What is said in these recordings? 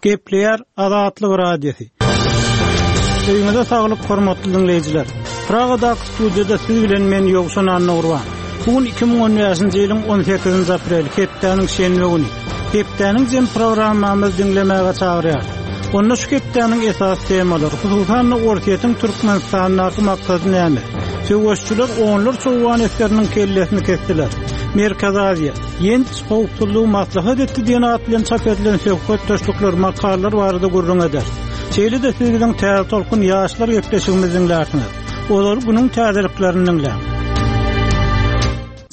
Gepleýär Azatlyk Radiosy. Öýüňize saglyk hormatly diňleýjiler. Pragadaky studiýada siz bilen men Ýowşan Annagurban. Bu gün 2015-nji ýylyň 18-nji apreli, hepdäniň şenbe güni. Hepdäniň jem programmamyzy diňlemäge çagyrýar. Onda şu hepdäniň esasy temalary, hususan-da Orsýetiň Türkmenistandaky maksady näme? Söweşçiler onlarça owgan esgeriniň kellesini kesdiler. Merkezi Aziýa, Ýenç howpsuzlygy maslahat etdi diýen at bilen çap edilen söhbetdeşlikler, makalalar barada gürrüň eder. Şeýle-de siz biziň Täze tolkun ýaşlar gepleşigimizi diňlärsiňiz. Ozal günüň täzeliklerini diňläň.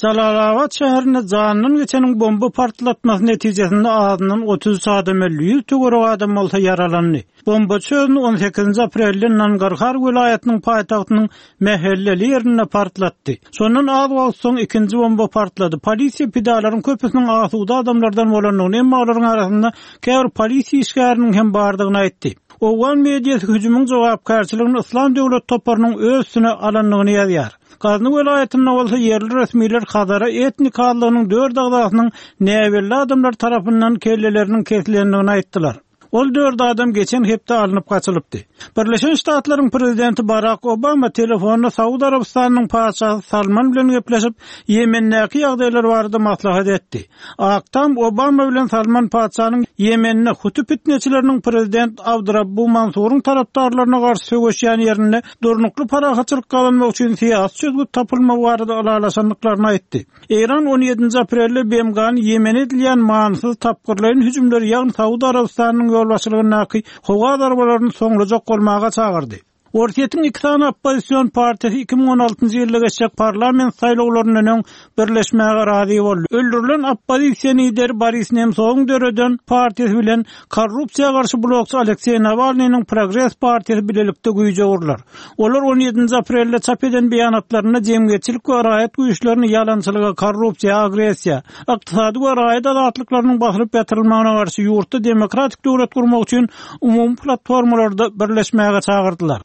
Jalalabat şäherinde janyndan geçeniň bomba partlatmasy netijesinde azyndan 33 adam öldi, 100 töweregi adam bolsa ýaralandy. Bombaçy özüni on sekizinji aprelde Nangarhar welaýatynyň paýtagtynyň mähelleli ýerinde partlatdy. Şondan az wagt soň ikinji bomba partlady. Polisiýa pidalaryň köpüsiniň asuda adamlardan bolandygyny, emma olaryň arasynda käbir polisiýa işgäriniň hem bardygyny aýtdy. Owgan mediasy hüjümiň jogapkärçiligini Yslam döwlet toparynyň öz üstüne alandygyny ýazýar. Gazny welaýatynda bolsa ýerli resmiler Hazara etnik azlygynyň dört agzasynyň näbelli adamlar tarapyndan kelleleriniň kesilendigini aýtdylar. Ol dört adam geçen hepde alnyp gaçylypdy. Birleşen Ştatlaryň prezidenti Barak Obama telefonda Saud Arabystanynyň patyşasy Salman bilen gepleşip, Ýemendäki ýagdaýlar barada maslahat etdi. Ak Tam Obama bilen Salman patyşanyň Ýemende huti pitneçileriniň prezident Abdurabbu Mansuryň tarapdarlaryna garşy söweşýän ýerinde durnukly parahatçylyk gazanmak üçin syýasy çözgüt tapylmagy barada ylalaşandyklaryny aýtdy. Eýran on ýedinji aprelde BMG-ny Ýemene edilýän manysyz tapgyrlaýyn hüjümleri, ýagny Saud Arabystanynyň ýolbaşçylygyndaky howa zarbalaryny soňlajak bolmaga çagyrdy. Orsýetiň iki sany oppozision partiýasy 2016-njy ýylda geçjek parlament saýlawlaryndan öň birleşmäge razy boldy. Öldürilen oppozisiýa lideri Boris Nemsowyň döreden partiýasy bilen korrupsiýa garşy blokçy Alekseý Nawalnynyň Progres partiýasy bilelikde güýje urlar. Olar on ýedinji aprelde çap eden beýanatlarynda jemgyýetçilik we raýat güýçlerini ýalançylyga, korrupsiýa, agressiýa, ykdysady we raýat azatlyklarynyň basylyp ýatyrylmagyna garşy ýurtda demokratik döwlet gurmak üçin umumy platformalarda birleşmäge çagyrdylar.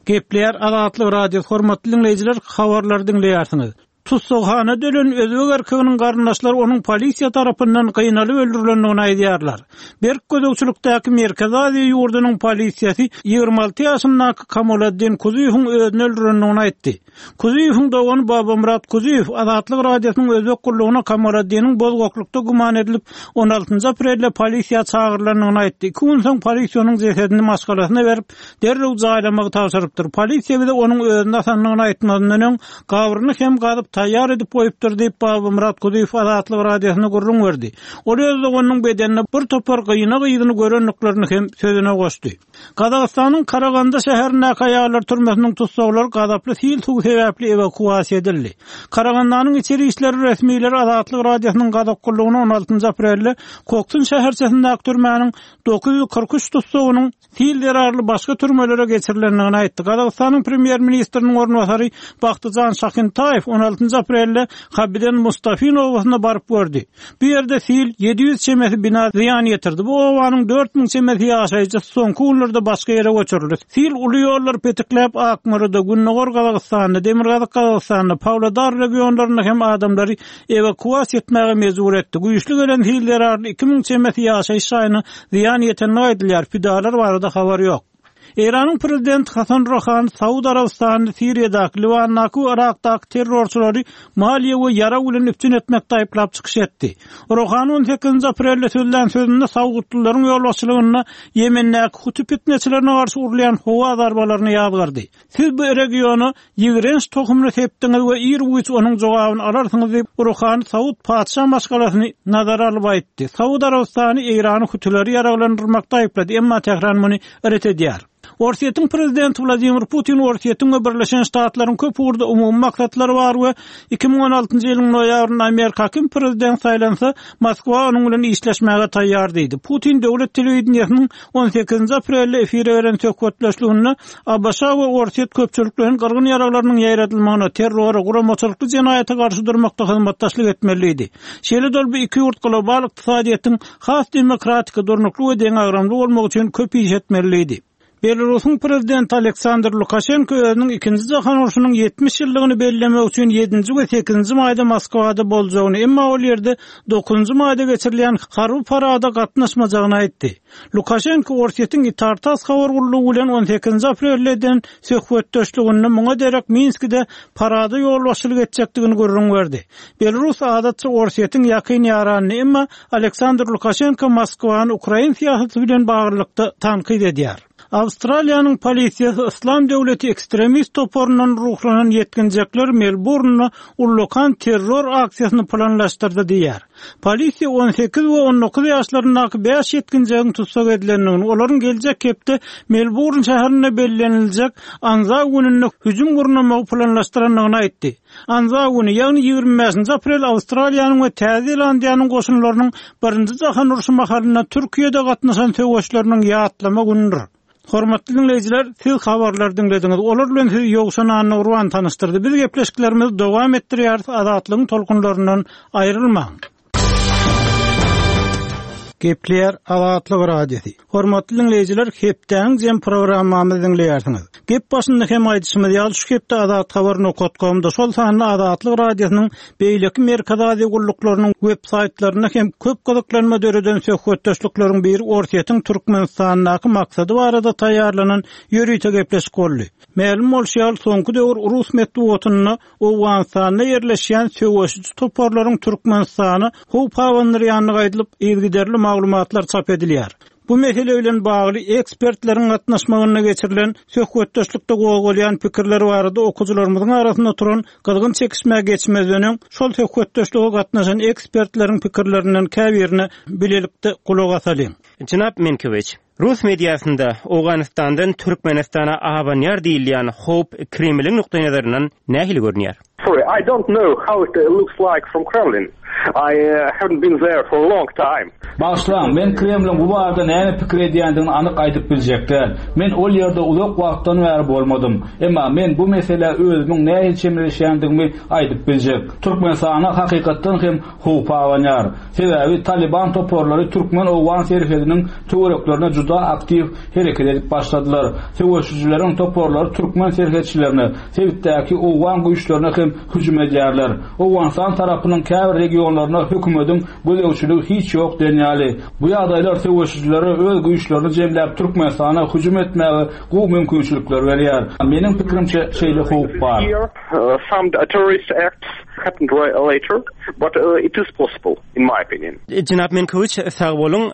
Gepleýär Azatlyk Radiosy, hormatly diňleýjiler, habarlary diňleýärsiňiz. Tussaghanada ölen özbek erkeginiň garyndaşlary onuň polisiýa tarapyndan gynalyp öldürilendigini aýdýarlar. Berk gözegçilikdäki Merkezi Aziýa ýurdunyň polisiýasy 26 ýaşyndaky Kamoladdin Kuzuýewiň özüni öldürendigini aýtdy. Kuzuýewiň dogany Babamyrat Kuzuýew Azatlyk Radiosynyň özbek gullugyna Kamoladdiniň bozgaklykda güman edilip, on altynjy aprelde polisiýa çagyrylandygyny aýtdy. Iki gün soň polisiýa onuň jesedini maşgalasyna berip, derrew jaýlamagy tabşyrypdyr. Polisiýa bize onuň özüni asandygyny aýtmazyndan öň, gabryny hem gazyp taýýar edip goýupdyr diýip, Babamyrat Kudyýew Azatlyk Radiosyna gürrüň berdi. Ol öz doganynyň bedeninde bir topar gynag yzyny görendiklerini hem sözüne goşdy. Gazagystanyň Karaganda şäherindäki aýallar türmesiniň tussaglary gazaply sil suwy sebäpli ewakuasiýa edildi. Karagandanyň içeri işler resmileri Azatlyk Radiosynyň gazak gullugyna on altynjy aprelde Koksun şäherçesindäki türmäniň 943 tussagynyň sil zerarly başga türmelere geçirilendigini aýtdy. Gazagystanyň premýer-ministriniň orunbasary Bagtyjan Şahyntaýew on altynjy aprelde Habiden Mustafin obasyna baryp gördi. Bu ýerde sil 700 çemesi bina zyýan ýetirdi. Bu obanyň 4000 çemesi ýaşaýjysy soňky günlerde başga ýere göçürildi. Sil uly ýollary petikläp, Akmolada, Gündogar Gazagystanda, Demirgazyk Gazagystanda, Pawlodar regionlarynda hem adamlary ewakuasiýa etmäge mejbur etdi. Güýçli gelen sil zerarly 2000 çemesi ýaşaýyş jaýyna zyýan ýetendigi aýdylýar, pidalar barada habar ýok. Eýranyň prezidenti Hasan Ruhani Saud Arabystanyny Siriýadaky, Liwandaky we Yrakdaky terrorçylary maliýe we ýarag bilen üpjün etmekde aýyplap çykyş etdi. Ruhani on sekizinji aprelde sözlän sözünde saudlylaryň ýolbaşçylygynda Ýemendäki huti pitneçilerine garşy urulýan howa zarbalaryny ýazgardy. Siz bu regiona ýigrenç tohumyny sepdiňiz we ir-güýç onuň jogabyny alarsyňyz diýip, Ruhani Saud patyşa maşgalasyny nazara alyp aýtdy. Saud Arabystany Eýrany hutileri ýaraglandyrmakda aýyplady, emma Tähran muny ret edýär. Orsýetiň prezidenti Wladimir Putin Orsýetiň we Birleşen Ştatlaryň köp ugurda umumy maksatlary bar we 2016-njy ýylyň noýabrynda Amerika kim prezident saýlansa, Moskwa onuň bilen işleşmäge taýýar diýdi. Putin döwlet telewideniýesiniň On sekizinji aprelde efire beren söhbetdeşliginde ABŞ we Orsýet köpçülikleýin gyrgyn ýaraglarynyň ýaýradylmagyna, terrora, guramaçylykly jenaýata garşy durmakda hyzmatdaşlyk etmeli diýdi. Şeýle-de ol bu iki ýurt global ykdysadyýetiň has demokratiki, durnukly we deňagramly bolmagy üçin köp iş etmeli diýdi. Belarusyň prezidenti Aleksandr Lukaşenko özüniň Ikinji jahan urşunyň 70 ýyllygyny bellemek üçin ýedinji we sekizinji maýda Moskwada boljagyny, emma ol ýerde dokuzynjy maýda geçirilýän harby parada gatnaşmajagyny aýtdy. Lukaşenko Orsýetiň Itar-tass habar gullugy bilen on sekizinji aprelde eden söhbetdeşliginde muňa derek Minskide parada ýolbaşçylyk etjekdigini gürrüň berdi. Belarus adatça Orsýetiň ýakyn ýaranydy, emma Aleksandr Lukaşenko Moskwany ukrain syýasaty bilen baglylykda tankyt edýär. Awstraliýanyň polisiýasy Yslam döwleti ekstremist toparyndan ruhlanan ýetginjekler Melburnda ullakan terror aksiýasyny planlaşdyrdy diýýär. Polisiýa 18 we 19 ýaşlaryndaky bäş ýetginjegiň tussag edilendigini, olaryň geljek hepde Melburn şäherinde belleniljek Anzaw gününde hüjüm gurnamagy planlaşdyrandygyny aýtdy. Anzaw güni, ýagny 25-nji aprel Awstraliýanyň we Täze Zelandiýanyň goşunlarynyň Birinji jahan urşy mahalynda Türkiýede gatnaşan söweşleriniň ýatlama günüdir. Hormatly diňleýjiler, siz habarlary diňlediňiz. Olar bilen sizi Ýowşan Annagurban tanyşdyrdy. Biz gepleşiklerimizi dowam etdirýäris, Azatlygyň tolkunlaryndan aýrylmaň! Gepleýär Azatlyk Radiosy. Hormatly diňleýjiler, hepdäniň jem programmamyzy diňleýärsiňiz. Gep başynda hem aýdyşymyz ýaly, şu hepde Azathabar nokat komda, şol sanda Azatlyk Radiosynyň beýleki Merkezi Aziýa gulluklarynyň web saýtlarynda hem köp gyzyklanma döreden söhbetdeşlikleriň biri Orsýetiň Türkmenistandaky maksady barada taýýarlanan ýörite gepleşik boldy. Mälim bolşy ýaly, soňky döwür rus metbugatynda Owganystanda ýerleşýän söweşiji toparlaryň Türkmenistana howp abandyrýandygy aýdylyp, yzygiderli maglumatlar çap edilýär. Bu mesele bilen bagly ekspertleriň gatnaşmagynda geçirilen söhbetdeşlikde gozgalýan pikirler barada okyjylarymyzyň arasynda turan gyzgyn çekişmä geçmezden öň, şol söhbetdeşlige gatnaşan ekspertleriň pikirlerinden käbirine bilelikde gulak asalyň. Jenap Minkewiç, Rus mediasynda Owganystandan Türkmenistana abanýar diýilýän howp Kremliň nukdaýnazaryndan nähili görünýär? Sorry, I don't know how it looks like from Kremlin. I haven't been there for a long time. Bagyşlaň, men Kremliň bu barada näme pikir edýändigini anyk aýdyp biljek däl. Men ol ýerde uzak wagtdan bäri bolmadym. Emma men bu meselä özümiň nähili çemeleşýändigimi aýdyp biljek. Türkmenistana hakykatdan hem howp abanýar. Sebäbi Talyban toparlary türkmen-owgan serhediniň töwereklerinde juda aktiw hereket edip başladylar. Söweşijileriň toparlary türkmen serhetçilerine, sebitdäki owgan güýçlerine hem hüjüm edýärler. Owganystan tarapynyň käbir regionlarynda hökümediň gözegçiligi hiç ýok diýen ýaly. Bu ýagdaýlar söweşijilere öz güýçlerini jemläp Türkmenistana hüjüm etmäge gowy mümkinçilikler berýär. Meniň pikirimçe şeýle howp bar. Some terrorist acts happened later, but it is possible, in my opinion. Jenap Menkowiç, sag boluň.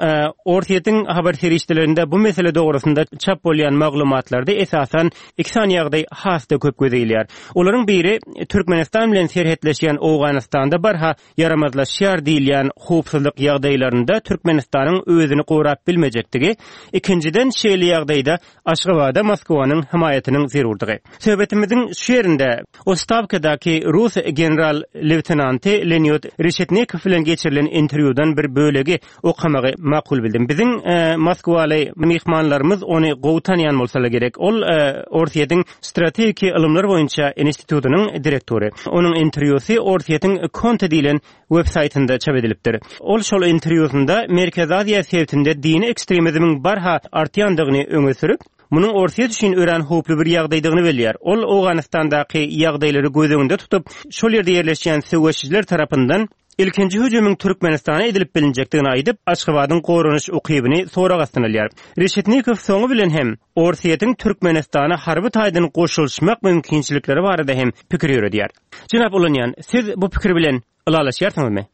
Orsýetiň habar serişdelerinde bu mesele dogrusynda çap bolýan maglumatlarda esasan iki sany ýagdaý has-da köp göze ilýär. Olaryň biri, Türkmenistan bilen serhetleşýän Owganystanda barha ýaramazlaşýar diýilýän howpsuzlyk ýagdaýlarynda Türkmenistanyň özüni gorap bilmejekdigi, ikinjiden, şeýle ýagdaýda Aşgabada Moskwanyň hemaýatynyň zerurdygy. Söhbetimiziň şu ýerinde Ostawkadaky rus general-leýtenanty Leonid Reşetnikow bilen geçirilen interwýudan bir bölegi okamagy makul bildim. Biziň moskwaly myhmanlarymyz ony gowy tanýan bolsalar gerek. Ol Orsýetiň strategiki ylymlar boýunça institutynyň direktory. Onuň interwýusy Orsýetiň Konta diýlen web saýtynda çap edilipdir. Ol şol interwýusynda Merkezi Aziýa sebitinde dini ekstremizmiň barha artýandygyny öňe sürüp, munuň Orsýet üçin örän howply bir ýagdaýdygyny belleýär. Ol Owganystandaky ýagdaýlary göz öňünde tutup, şol ýerde ýerleşýän söweşijiler tarapyndan ilkinji hüjümiň Türkmenistana edilip bilinjekdigini aýdyp, Aşgabadyň goranyş ukybyny sorag astyna alýar. Reşetnikow soňy bilen hem Orsýetiň Türkmenistana harby taýdan goşulyşmak mümkinçilikleri barada hem pikir ýöredýär. Jenap Ulanýan, siz bu pikir bilen ylalaşýarsyňyzmy?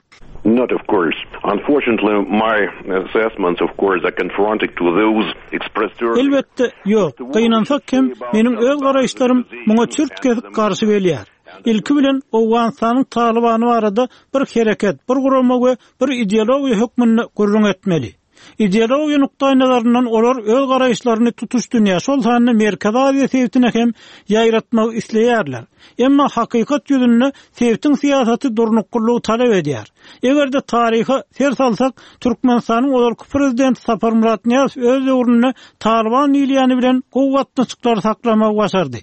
Not of course. Unfortunately, my assessments of course are confronted to those expressed earlier. Elbetde, ýok. Gynansak hem, meniň öz garaýyşlarym muňa çürt-kesik garşy gelýär. Ilki bilen, Owganystanyň Talybany barada bir hereket, bir gurama we bir ideologiýa hökmünde gürrüň etmeli. Ideologiýa nukdaýnazaryndan olar öz garaýyşlaryny tutuş dünýä, şol sanda Merkezi Aziýa sebitine hem ýaýratmak isleýärler. Emma hakykat ýüzünde sebitiň syýasaty durnuklylygy talap edýär. Eger-de taryha ser salsak, Türkmenistanyň ozalky prezidenti Saparmyrat Nyýazow öz döwründe Talyban diýilýäni bilen gowy gatnaşyklary saklamagy başardy.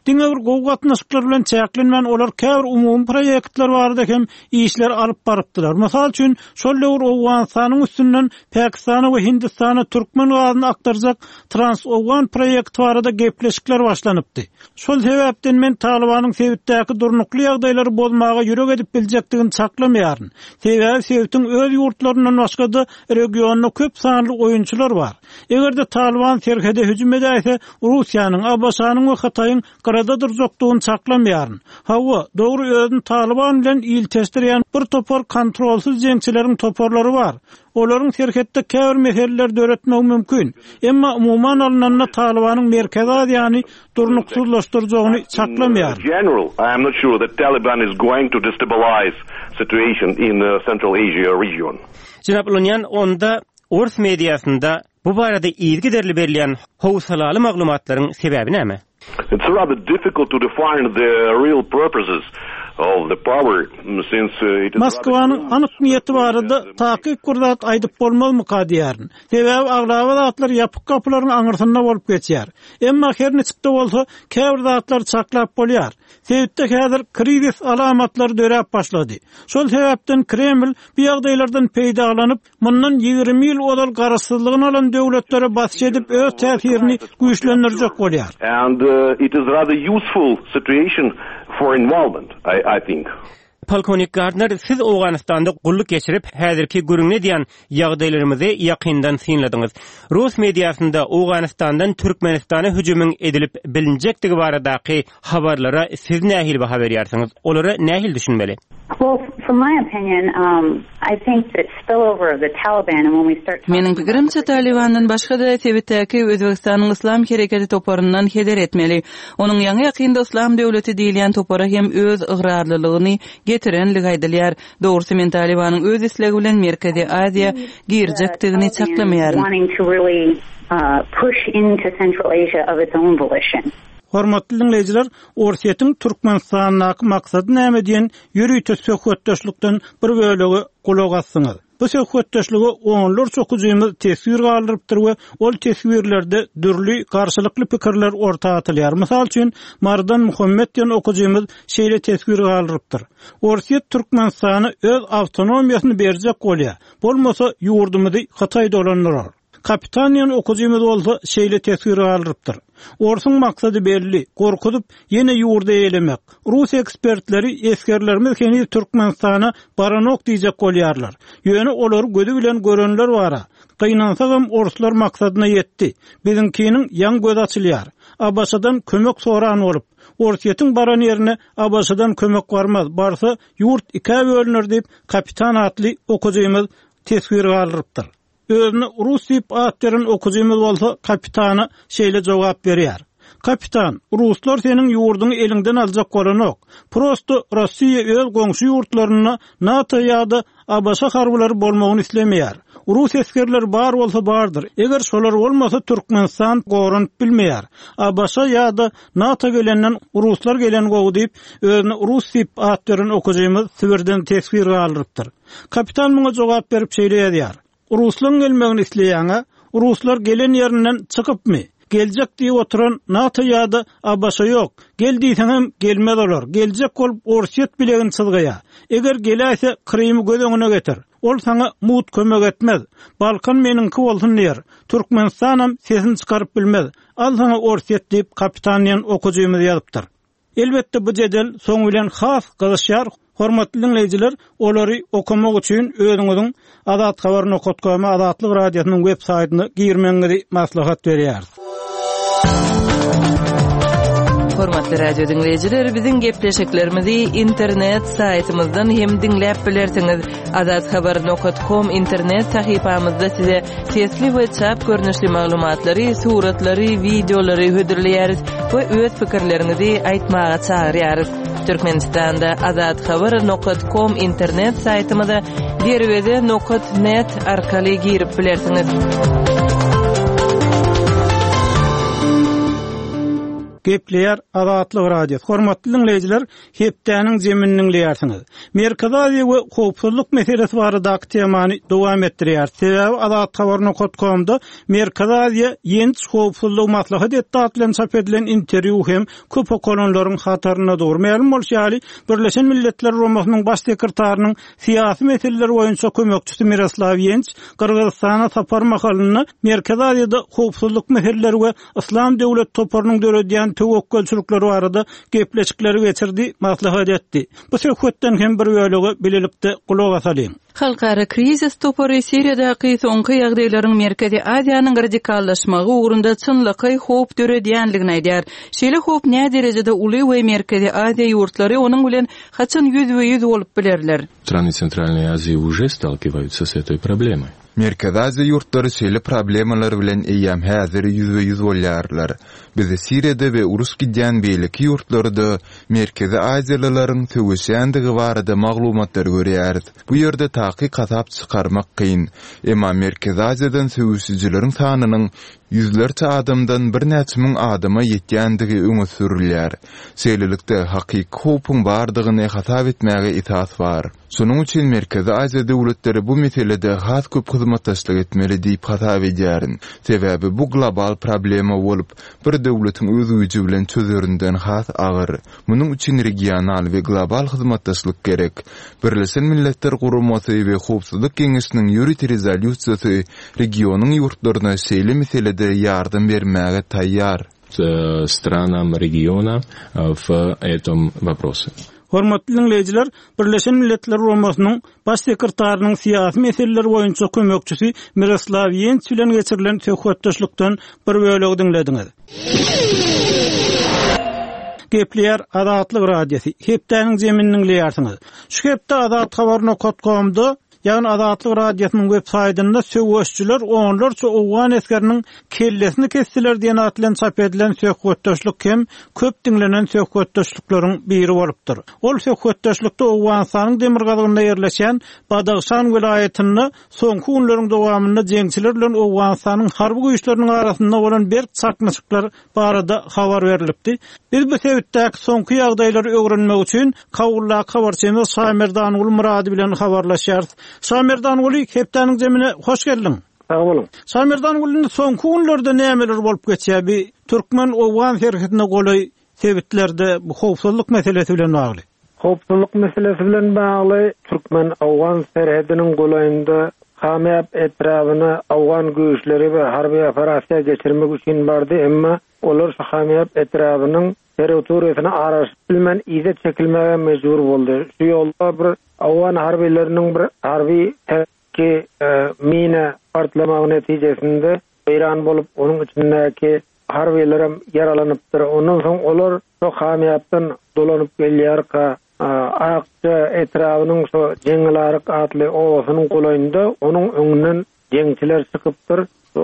Diňe bir gowy gatnaşyklar bilen çäklenmän, olar käbir umumy proýektler barada hem işleri alyp barypdylar. Mysal üçin, şol döwür Owganystanyň üstünden Pakistana we Hindistana türkmen gazyny akdyrjak Trans-Owgan proýekti barada gepleşikler başlanypdy. Şol sebäpden men Talybanyň sebitdäki durnukly ýagdaýlary bozmaga ýürek edip biljekdigini çaklamaýaryn. Sebäbi sebitiň öz ýurtlaryndan başga-da regionda köp sanly oýunçylar bar. Eger-de Talyban serhede hüjüm edäýse, Russiýanyň, ABŞ-nyň we Hytaýyň gyrada durjakdygyny çaklamaýaryn. Hawa, dogry özüni Talyban bilen ilteşdirýän bir topar kontrolsyz jeňçileriň toparlary bar. Olaryň serhetde käbir meseleler döretmegi mümkin. Emma umuman alnanda Talybanyň Merkezi Aziýany durnuksyzlaşdyrjagyny çaklamaýaryn. Jenap Ulunýan, onda Ors mediasynda bu barada yzygiderli berilýän howsalaly maglumatlaryň sebäbi näme? It's rather difficult to define the real purposes of the power since it is Moskwanyň anyk niýeti barada takyk bir zat aýdyp bolmazmyka diýýärin. Sebäbi aglaba zatlar ýapyk gapylaryň aňyrsynda bolup geçýär. Emma her niçik-de bolsa, käbir zatlary çaklap bolýar. Sebitde häzir krizis alamatlary döräp başlady. Şol sebäpden Kreml bu ýagdaýlardan peýdalanyp, Mundan 20 ýyl ozal garaşsyzlygyny alan döwletlere basyş edip öz täsirini güýçlendirjek bolýar. And it is rather useful situation for involvement, I think. Polkownik Gardner, siz Owganystanda gulluk geçirip, häzirki gürrüňini edýän ýagdaýlarymyzy ýakyndan synladyňyz. Rus mediasynda Owganystandan Türkmenistana hüjümiň edilip bilinjekdigi baradaky Habarlara siz nähili baha berýärsiňiz? Olara nähili düşünmeli? Meniň pikirimçe, Talybandan başga-da, sebitdäki Özbegistanyň Yslam hereketi toparyndan heder etmeli. Onuň ýaňy-ýakynda Yslam döwleti diýilýän topara hem öz ygrarlylygyny getirenligi aýdylýar. Dogrusy, men Talybanyň öz islegi bilen Merkezi Aziýa girjekdigini çaklamaýaryn. Hormatly diňleýjiler, Orsýetiň Türkmenistandaky maksady näme diýen ýörite söhbetdeşlikden bir bölege gulak asdyňyz. Bu söhbetdeşlige onlarça okyjymyz teswir galdyrypdyr we ol teswirlerde dürli garşylykly pikirler orta atylýar. Mysal üçin, Marydan Muhammet diýen okyjymyz şeýle teswir galdyrypdyr, Orsýet Türkmenistana öz awtonomiýasyny berjek bolýar, bolmasa ýurdumyzy Hytaý dolandyrar. Kapitan diýen okyjymyz bolsa şeýle teswir galdyrypdyr, Orsuň maksady belli, gorkuzyp, ýene ýurdy eýelemek. Rus ekspertleri esgerlerimiz heniz Türkmenistana baranok diýjek bolýarlar. Ýöne olary gözi bilen görenler bar-a. Gynansagam orslar maksadyna ýetdi. Biziňkiniň ýaňy gözi açylýar. ABŞ-dan kömek soran bolup. Orsýetiň baran ýerine ABŞ-dan kömek barmaz, barsa ýurt ikä bölüner diýip, Kapitan atly okyjymyz teswir galdyrypdyr. Özüne rus diýip at beren okyjymyz bolsa kapitana şeýle jogap berýär, Kapitan, ruslar seniň ýurduňy eliňden aljak bolanok. Prosto Rossiýa öz goňşy ýurtlarynda NATO ýa-da ABŞ harbylary bolmagyny islemeýär. Rus esgerleri bar bolsa bardyr. Eger şolar bolmasa Türkmenistan goranyp bilmeýär. ABŞ ýa-da NATO gelenden ruslar gelen gowy diýip, özüne rus diýip at beren okyjymyz Sibirden teswir galdyrypdyr. Kapitan muňa jogap berip şeýle ýazýar, Ruslaň gelmegini isleýäň-ä? Ruslar gelen ýerinden çykypmy? Geljek diýip oturan NATO ýa-da ABŞ ýok. Gel diýseňem gelmez olar. Geljek bolup Orsýet bilegini çyzgaýar. Eger geläýse Krymy göz öňüne getir. Ol saňa mugt kömek etmez. Balkan meniňki bolsun diýer. Türkmenistanam sesini çykaryp bilmez. Al saňa Orsýet diýip kapitan diýen okyjymyz ýazypdyr. Elbetde bu jedel soň bilen has gyzyşýar, hormatly diňleýjiler olary okamak üçin özüňiziň Azathabar nokat com Azatlyk Radiosynyň web saýtyna girmegiňizi maslahat berýäris. Hormatly radio diňleýjiler, biziň gepleşiklerimizi internet saýtymyzdan hem diňläp bilersiňiz. Azathabar nokat kom internet sahypamyzda size Sesli we çap görnüşli maglumatlary, suratlary, wideolary hödürleýäris we öz pikirleriňizi aýtmaga çagyrýarys. Türkmenistanda Azat Habar nokat kom internet saýtymyza Derweze nokat net arkaly girip bilersiňiz. Gepleýär Azatlyk Radiosy. Hormatly diňleýjiler, hepdäniň jemini diňleýärsiňiz. Merkezi Aziýa we howpsuzlyk meselesi baradaky temany dowam etdirýäris. Sebäbi Azathabar nokat komda Merkezi Aziýa ýenç howpsuzlygy maslahat etdi atly bilen çap edilen interwýu hem köp okalanlaryň hatarynda dur. Mälim bolşy ýaly, Birleşen Milletler Guramasynyň Baş sekretarynyň syýasy meseleler boýunça kömekçisi Miroslaw Ýenç Gyrgyzystana sapar mahalynda Merkezi Aziýada howpsuzlyk meseleleri we Yslam döwlet toparynyň döredýän töwekgelçilikleri barada gepleşikleri geçirdi, maslahat etdi. Bu söhbetden hem bir bölege bilelikde gulak asalyň. Halkara krizis topary Siriýadaky soňky ýagdaýlaryň Merkezi Aziýanyň radikallaşmagy ugrunda çynlakaý howp döredýändigini aýdýar. Şeýle howp näderejede uly we Merkezi Aziýa ýurtlary onuň bilen haçan ýüzbe-ýüz bolup bilerler? Strany Centralной Азии уже сталкиваются с этой проблемой. Merkezi Aziýa ýurtlary şeýle problemalar bilen eýýäm häzir ýüzbe-ýüz bolýarlar. Biz Siriýada we uruş gidýän beýleki ýurtlarda merkezi aziýalylaryň söweşýändigi barada maglumatlary görýäris. Bu ýerde takyk hasap çykarmak kyn. Emma Merkezi Aziýadan söweşijileriň sanynyň ýüzlerçe adamdan birnäçe müň adama ýetýändigi öňe sürülýär. Şeýlelikde, hakyky howpuň bardygyny hasap etmäge esas bar. Şonuň üçin Merkezi Aziýa döwletleri bu meselede has köp hyzmatdaşlyk etmeli diýip hasap edýärin. Sebäbi bu global problema bolup, bir döwletiň öz güýji bilen çözerinden has agyr. Munuň üçin regional we global hyzmatdaşlyk gerek. Birleşen Milletler Guramasy we Howpsuzlyk Geňeşiniň ýörite rezolýusiýasy regionyň ýurtlaryna şeýle meselede ýardam bermäge taýýar. stranam regiona w etom woprose. Hormatly diňleýjiler, Birleşen Milletler Guramasynyň Baş sekretarynyň syýasy meseleler boýunça kömekçisi Miroslaw Ýenç bilen geçirilen söhbetdeşlikden bir bölegi diňlediňiz. Gepleýär Azatlyk Radiosy. Hepdäniň jemini diňleýärsiňiz. Şu hepde Azathabar nokat komda Ýagny Azatlyk Radiosynyň web saýtynda söweşijiler onlarça owgan esgeriniň kellesini kesdiler diýen at bilen çap edilen söhbetdeşlik hem köp diňlenen söhbetdeşlikleriň biri bolupdyr. Ol söhbetdeşlikde Owganystanyň demirgazygynda ýerleşýän Badahşan welaýatynda soňky günleriň dowamynda jeňçiler bilen Owganystanyň harby güýçleriniň arasynda bolan berk çaknyşyklar barada habar berlipdi. Biz bu sebitdäki soňky ýagdaýlary öwrenmek üçin Kabuldaky habarçymyz Şamerdanguly Myrady bilen habarlaşýarys. Şamerdanguly, hepdäniň jemine hoş geldiň! Sag boluň. Şamerdanguly, indi soňky günlerde nämeler bolup geçýär bi türkmen-owgan serhedine golaý sebitlerde bu howpsuzlyk meselesi bilen bagly? Howpsuzlyk meselesi bilen bagly türkmen-owgan serhediniň golaýynda Kamýap etrabyna owgan güýçleri we harby operasiýa geçirmek üçin bardy, emma olar şu Kamýap etrabynyň territoriýasyna aralaşyp bilmän yza çekilmäge mejbur boldy. Şu ýolda bir owgan harbylarynyň bir harby ki mina partlamagy netijesinde weýran bolup, onuň içindäki harbylaram ýaralanypdyr. Ondan soň olar şo Kamýapdan dolanyp gelýärka, Akja etrabynyň şo Jeňňelaryk atly obasynyň golaýynda onuň öňünden jeňçiler çykypdyr. Şo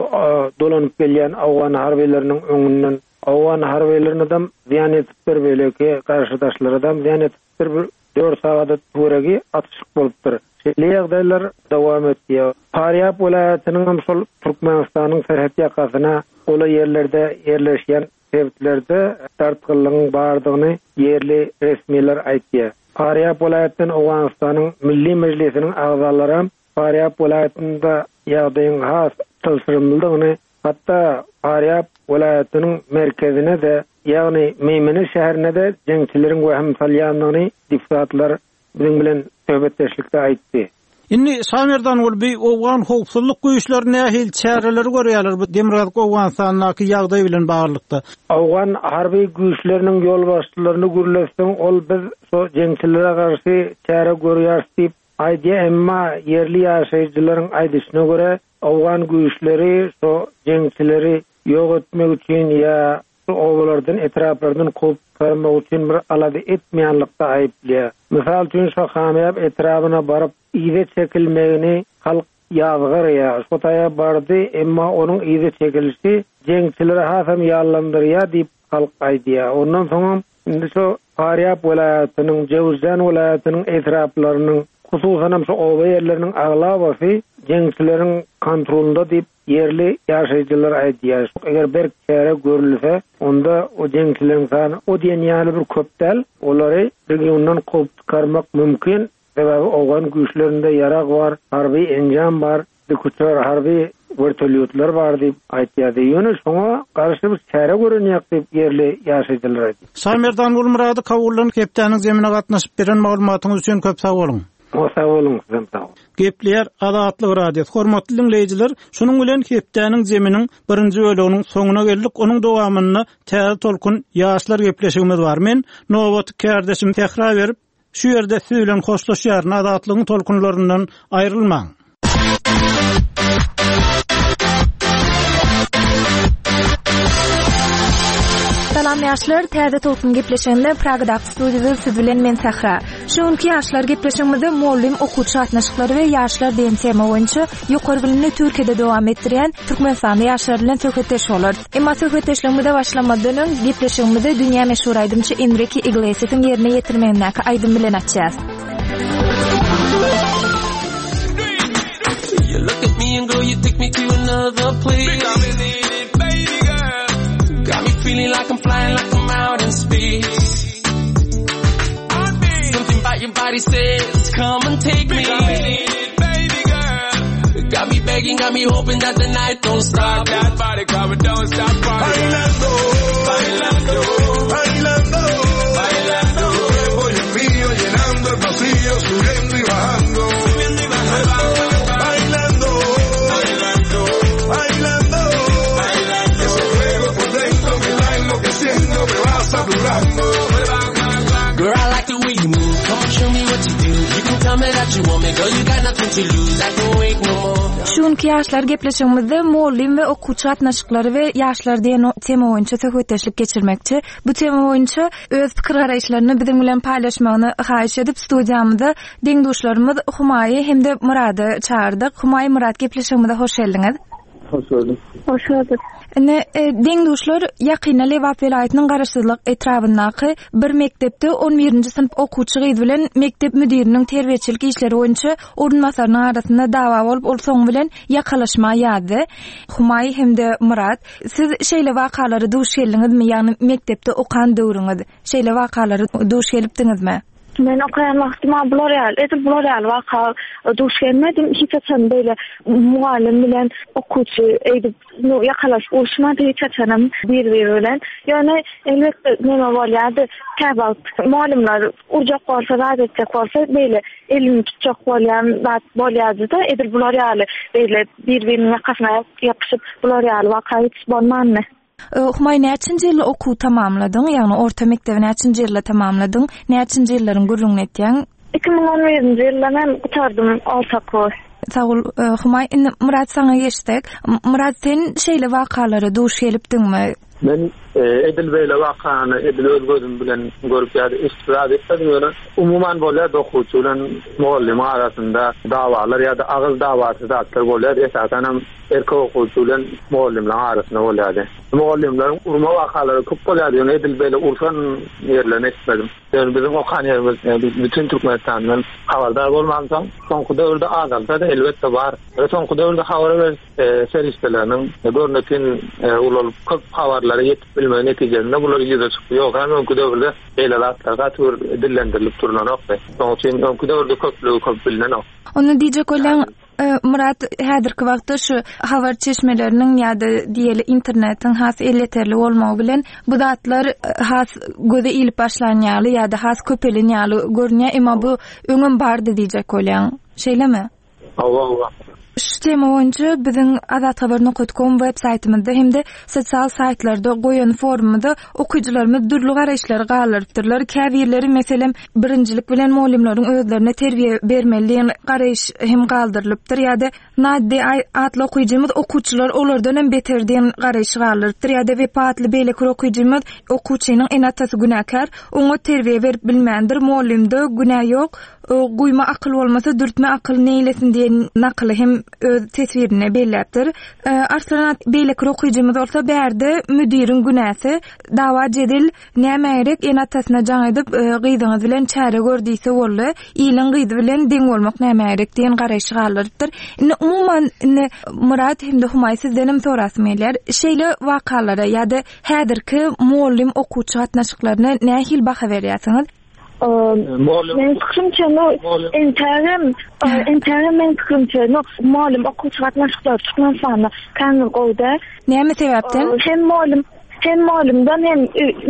dolanyp gelýän owgan harbylarynyň öňünden. Owgan harbylarynadam zyýan ýetipdir, beýleki garşydaşlaradam zyýan ýetipdir. Bir dört sagada töweregi atyşyk bolupdyr. Şeýle ýagdaýlar dowam etýär. Farýap welaýatynyňam şol Türkmenistanyň serhet ýakasyna golaý ýerlerde ýerleşýän sebitlerde dartgynlygyň bardygyny ýerli resmiler aýtýar. Farýap welaýatyndan Owganystanyň Milli Mejlisiniň agzalaram Farýap welaýatynda ýagdaýyň has çylşyrymlydygyny, hatda Farýap welaýatynyň merkezine-de, ýagny Meýmene şäherine-de jeňçileriň wehim salýandygyny deputatlar biziň bilen söhbetdeşlikde aýtdy. Indi Şamerdanguly bi owgan howpsuzlyk güýçleri nähili çäreleri görýärler bu Demirgazyk Owganystandaky ýagdaý bilen baglylykda? Owgan harby güýçleriniň ýolbaşçylaryny gürletseň ol biz şo jeňçilere garşy çäre görýäris diýip aýdýar emma ýerli ýaşaýjylaryň aýdyşyna görä owgan güýçleri şo jeňçileri ýok etmek üçin ýa Şu obalardan, etraplardan kowup çykarmak üçin bir alada etmeýänlikde aýyplaýar. Mysal üçin, şo Hamyýap etrabyna baryp, yza çekilmegini halk ýazgarýar. Şo taýa bardy, emma onuň yza çekilişi jeňçileri hasam ýallandyrýar diýip, halk aýdýar. Ondan soňam indi şo Farýap welaýatynyň, Jöwüzjan welaýatynyň etraplarynyň. Hususanam şu oba ýerleriniň aglabasy jeňçileriň kontrolynda diýip, ýerli ýaşaýjylar aýdýar. Eger berk çäre görülse, onda o jeňçileriň sany o diýen ýaly bir köp däl. Olary regiondan kowup çykarmak mümkin. Sebäbi owgan güýçlerinde ýarag bar, harby enjam bar, dikuçar, harby wertolýotlar bar diýip aýtýardy. Ýöne şoňa garşy bir çäre görünýär diýip, ýerli ýaşaýjylar aýdýar. Şamerdan Gulmyrady Kabuldan hepdäniň zemine gatnaşyp beren maglumatyňyz üçin köp sag boluň. Sag boluň, sizem sag boluň. Gepleýär Azatlyk Radiosy. Hormatly diňleýjiler, şunuň bilen hepdäniň zeminiň birinji böleginiň soňuna geldik. Onuň dowamynda Täze tolkun ýaşlar gepleşigimiz bar. Men nobaty kärdeşim Sähra berip, Şu ýerde siz bilen hoşlaşýaryn, Azatlygyň tolkunlaryndan aýrylmaň. Salam ýaşlar, Täze Tolkun gepleşiginde Pragadaky studiýada siz bilen men Sähra. Şu günki ýaşlar gepleşigimizde mugallym okuwçy gatnaşyklary we ýaşlar diýen tema boýunça ýokary bilimini Türkiýede dowam etdirýän türkmenistanly ýaşlar bilen söhbetdeş bolarys. Emma söhbetdeşligimize başlamazdan öň, gepleşigimizi dünýä meşhur aýdymçy Enrike Iglesiasyň ýerine ýetirmegindäki aýdym bilen açýas. Şu günki ýaşlar gepleşigimizde mugallym we okuwçy gatnaşyklary we ýaşlar diýen tema boýunça söhbetdeşlik geçirmekçi. Bu tema boýunça öz pikir-garaýyşlaryny biziň bilen paýlaşmagyny haýyş edip studiýamyza deň-duşlarymyz Humaýy hem-de Myrady çagyrdyk. Humaý, Myrat gepleşigimize hoş geldiňiz. Hoş gördük. Hoş gördük. Indi e, deň-duşlar ýakynda Lebap welaýatynyň Garaşsyzlyk etrabyndaky bir mekdepde on birinji synp okuwçy gyz bilen mekdep müdiriniň terbiýeçilik işleri boýunça orunbasarynyň arasynda dawa bolup, ol soňy bilen ýakalaşma ýazdy. Humaý hem-de Myrat, siz şeýle wakalara duş geldiňizmi, ýagny mekdepde okan döwrüňiz şeýle wakalara duş gelipdiňizmi? Men okaýan wagtym-a bular ýaly, edil bular ýaly waka duş gelmedim. Hiç haçan beýle mugallym bilen okuwçy eýdip ýakalaşyp uruşmady hiç haçanam bir-biri bilen. Ýöne elbetde neme bolýardy, käwagt mugallymlar urjak bolsa, zat etjek bolsa beýle elini tutjak bolýan zat bolýardy-da, edil bular ýaly beýle bir-biriniň ýakasyna ýapyşyp bular ýaly waka hiç bolmandy. Humaý näçinji ýylda okuwy tamamladyň, ýagny orta mekdebi näçinji ýylda tamamladyň, näçinji ýyllaryň gürrüňini etýäň? 2011-nji ýylda men gutardym orta okuwy. Sag bol, Humaý. Indi Myrat saňa geçsek. Myrat sen şeýle wakalara duş gelipdiňmi? Men edil beýle wakany edil öz gözüm bilen görüp ýa-da eşidip zat etmedim, ýöne umuman bolýardy okuwçy bilen mugallymyň arasynda dawalar ýa-da agyz dawasy zatlar bolýardy, esasanam Erkek okuwçy bilen mugallymlaryň arasynda bolýardy. Mugallymlaryň urma wakalary köp bolýardy, ýöne edil beýle urşan ýerlerini eşitmedim. Ýöne biziň okan ýerimiz bütin Türkmenistandan habardar bolmansoň, soňky döwürde azalsa-da, elbetde bar. Ýöne soňky döwürde habar beriş serişdeleriniň görnetin ulalyp, köp habarlara ýetip bilmegi netijesinde bular ýüze çykdy. Ýogsa hem öňki döwürde beýle zatlar gaty bir dillendirilip durlanokdy. Şonuň üçin öňki döwürde köplügi köp bilnenok. Onda diýjek bolýaň, Myrat, häzirki wagtda şu habar çeşmeleriniň ýa-da diýeli internetiň has elýeterli bolmagy bilen bu zatlar has göze ilip başlan ýaly ýa-da has köpelen ýaly görünýär, emma bu öňem bardy diýjek bolýaň. Şeýlemi? Hawa, hawa. Şu tema boýunça biziň azathabar nokat kom web saýtymyzda hem-de sosial saýtlarda goýan forumymyzda okyjylarymyz dürli garaýyşlary galdyrypdyrlar. Käbirleri, meselem, Birinjilik bilen mugallymlaryň özlerine terbiýe bermeli diýen garaýyş hem galdyrylypdyr ýa-da Naddi atly okyjymyz okuwçylar olardan hem beter diýen garaýşy galdyrypdyr ýa-da Wepa atly beýleki bir okyjymyz okuwçynyň ene-atasy günäkär, oňat terbiýe berip bilmändir, mugallymda günä ýok, Guýma akyl bolmasa, dürtme akyl neýlesin diýen nakyly hem öz teswirinde belläpdir. Arslan at beýleki bir okyjymyz bolsa bärde müdiriň günäsi, dawa-jedel nämä gerek, ene-atasyna jaň edip, gyzyňyz bilen çäre gör diýse boldy, iliň gyzy bilen deň bolmak nämä gerek diýen garaýşy galdyrypdyr. Indi umuman indi Myrat hem-de Humaý sizdenem sorasym gelýär. Şeýle wakalara ýa-da häzirki mugallym-okuwçy gatnaşyklaryna nähili baha berýärsiňiz? Meniň pikirimçe, no, entägem, entägem meniň pikirimçe, no, mugallym okuwçy gatnaşyklary Türkmenistanda kän bir gowy däl. Näme sebäpden? Hem mugallym, hem mugallymdan hem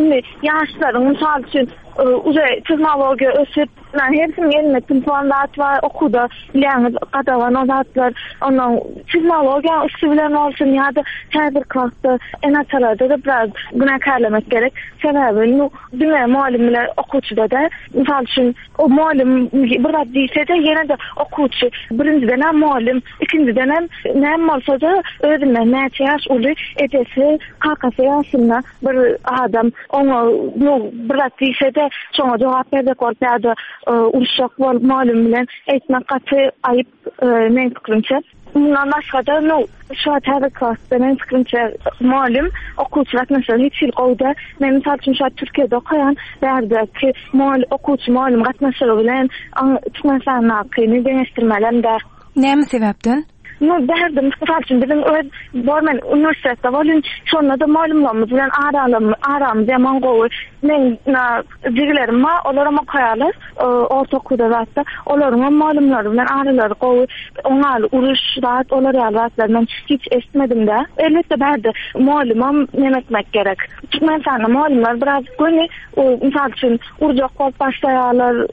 indi ýaşlaryň mysal üçin uje tehnologiýa ösüp, hersiniň elinde telefon zat bar, okuwda bilýäňiz gadagan o zatlar. Ondan tehnologiýanyň üsti bilen bolsun ýa-da häzirki wagtda ene-atalarda-da biraz günäkärlemek gerek. Sebäbi Diňe mugallym bilen okuwçyda däl. Mysal üçin, o mugallym bir zat diýse-de, ýene-de okuwçy birinjiden-ä mugallym, ikinjidenem näme bolsa-da özünden näçe ýaş uly ejesi, kakasy ýaşynda bir adam oňa nu bir zat diýse-de, şoňa jogap berjek bolup ýa-da uruşjak bolup mugallym bilen eýtmek gaty aýyp. Meň pikirimçe. Mundan başga-da, nu, şu wagt häzirki wagtda meň pikirimçe mugallym okuwçy gatnaşygy hiç hili gowy däl. Men mysal üçin şu wagt Türkiýede okaýan, bärdäki okuwçy mugallym gatnaşygy bilen Türkmenistandakyny deňeşdirmelem däl. Näme sebäpden? Nu, bärde mysal üçin biziň öz bor men uniwersitetde bolýan, şonda-da mugallymlarymyz bilen aramyz ýaman gowy. Meň Jigilerim bar, olaram okaýarlar, orta okuwda zatda. Olaryňam mugallymlary bilen aralary gowy. Oňaly uruş zat, olar ýaly zatlary men hiç eşitmedim-dä. Elbetde bärde mugallymam neme etmek gerek. Türkmenistanda mugallymlar biraz göni, mysal üçin, urjak bolup başlaýarlar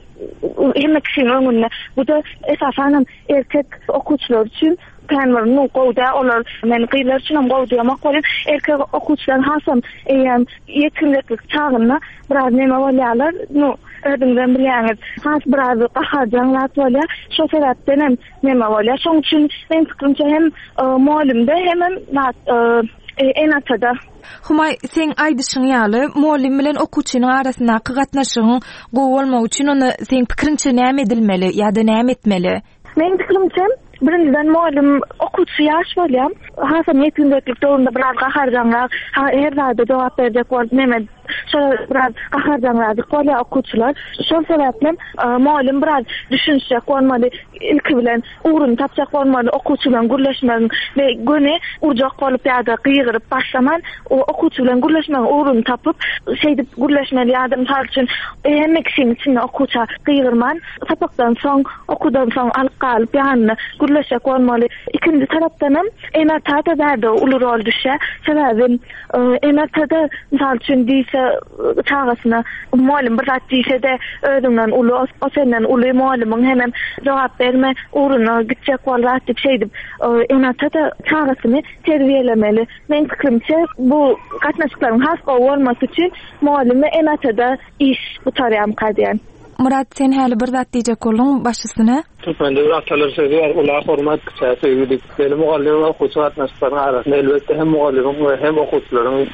hemme kişiniň öňünde. Bu-da esasanam erkek okuwçylar üçin Kän bir nu gowy däl olar men gyzlar üçinem gowy diýemok welin erkek okuwçylar hasam eýýäm ýetginjeklik çagynda biraz neme bolýarlar nu özüňizem bilýäňiz has biraz gaharjaň zat bolýar şo sebäpdenem neme bolýar şoň üçin meň pikirimçe hem mugallymda hemem zat ene-atada. Humaý seň aýdyşyň ýaly mugallym bilen okuwçynyň arasyndaky gatnaşygyň gowy bolmagy üçin onda seň pikiriňçe näme edilmeli ýa-da näme etmeli? Meň pikirimçe, birinjiden mugallym okuwçy ýaş bolýar. Hasam ýetginjeklik döwründe biraz gaharjaňrak, her zada jogap berjek bolup neme şol biraz gaharjaňradyk bolýar okuwçylar. Şol sebäplem mugallym biraz düşünişjek bolmaly, ilki bilen ugruny tapjak bolmaly okuwçy bilen gürleşmegiň we göni urjak bolup ýa-da gygyryp başlaman, okuwçy bilen gürleşmegiň ugruny tapyp, şeýdip gürleşmeli ýa-da mysal üçin hemme kişiniň içinde okuwça gygyrman, Sapakdan soň, okuwdan soň alyp galyp ýanynda gürleşjek bolmaly. Ikinji tarapdanam ene-ata-da bärde uly rol düşýär. Sebäbi ene-ata-da mysal üçin diýse çagasyna mugallym bir zat diýse-de özüňden uly, o senden uly mugallymyň hemem jogap berme, ugruna gitjek bol zat diýip şeýdip ene-ata-da çagasyny terbiýelemeli. Meň pikirimçe bu gatnaşyklaryň has gowy bolmasy üçin mugallym we ene-atada iş gutarýarmyka diýýän. Myrat sen häli bir zat diýjek bolduň baş üstüne. Türkmende bir atalar sözi bar, Ula hormat, kiçä söýgi diýip. Şeýle mugallym we okuwçy gatnaşyklaryň arasynda elbetde hem mugallymyň we hem okuwçylaryň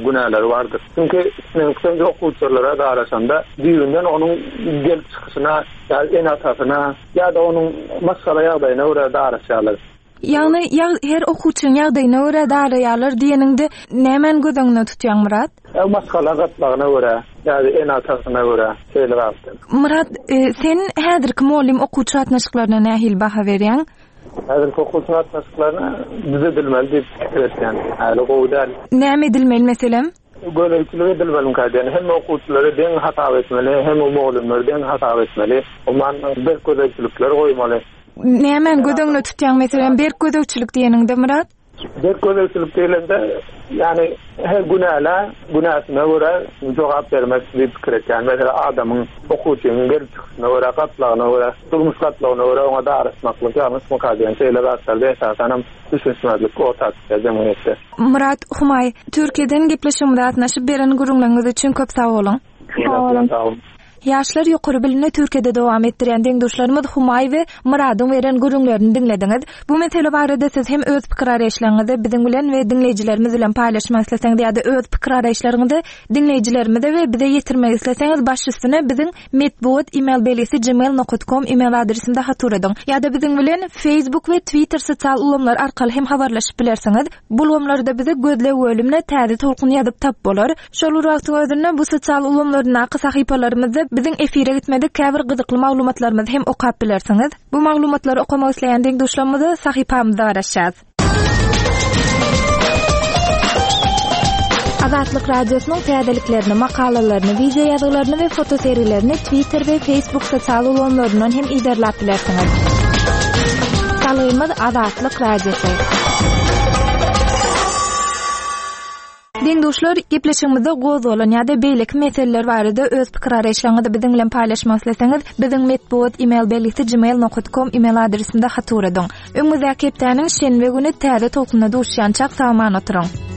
günäleri bardyr. Çünki meniň pikirimçe okuwçylara daraşanda düýbünden onuň gelip çykyşyna ýa ene-atasyna ýa-da onuň maşgala ýagdaýyna görä daraşýarlar. Ýagny her okuwçynyň ýagdaýyna görä daraýarlar diýeniňde nämäni göz öňünde tutýaň Myrat? Ýa maşgala gatlagyna görä, ýa-da ene-atasyna görä, şeýle zatlar. Myrat, sen häzirki mugallym-okuwçy gatnaşyklaryna nähili baha berýäň? Häzirki okuwçy gatnaşyklaryna düzedilmeli diýip pikir etýän. Häli gowy däl. Näme edilmeli meselem? Gözegçilik edilmelimikä diýen. Hemme okuwçylary deň hasap etmeli, hemme mugallymlary deň hasap etmeli. Umuman berk gözegçilikler goýmaly. Nämäni göz öňünde tutýaň meselem berk gözegçilik diýeniňde Myrat? Berk gözegçilik diýlende, ýagny her günälä günäsine görä jogap bermek diýip pikir etýän. Meselem adamyň okuwçynyň gelip çykyşyna görä, gatlagyna görä, durmuş gatlagyna görä oňa daraşmaklyk ýalňyşmyka diýen şeýle zatlarda esasanam düşünişmezlik orta çykýar jemgyýetde. Myrat Humaý, Türkiýeden gepleşigimize gatnaşyp beren gürrüňleriňiz üçin köp sag boluň. Sag boluň. Ýaşlar ýokary bilimini Türkiýede dowam etdirýän deň-duşlarymyz Humaý we Myradyň beren gürrüňlerini diňlediňiz. Bu mesele barada siz hem öz pikir-garaýyşlaryňyzy biziň bilen we diňleýjilerimiz bilen paýlaşmak isleseňiz ýa-da öz pikir-garaýyşlaryňyzy diňleýjilerimize we bize ýetirmek isleseňiz baş üstüne biziň metbugat email belgisi gmail nokat kom email adresimize hat ugradyň. Ýa-da biziň bilen Facebook we Twitter sosial ulgamlary arkaly hem habarlaşyp bilersiňiz. Bu ulgamlarda bizi gözleg bölümine Täze Tolkun ýazyp tap bolar. Şol bir wagtyň özünde bu sosial ulgamlaryndaky sahypalarymyzda biziň efire gitmedik käbir gyzykly maglumatlarymyzy hem okap bilersiňiz. Bu maglumatlary okamak isleýän deň-duşlarymyza sahypamyzda garaşýas. Azatlyk Radiosynyň täzeliklerini, makalalaryny, wideo ýazgylaryny we fotosergilerini Twitter we Facebook sosial ulgamlaryndan hem yzarlap bilersiňiz. Salgymyz Azatlyk Radiosy. Deň-duşlar, gepleşigimizde gozgalan ýa-da beýleki meseleler barada öz pikir-garaýyşlaryňyzy biziň bilen paýlaşmak isleseňiz, biziň metbugat email belgisi gmail nokat kom email adresimize hat ugradyň. Öňümizdäki hepdäniň şenbe güni täze tolkunda duşýançak sag-aman oturyň!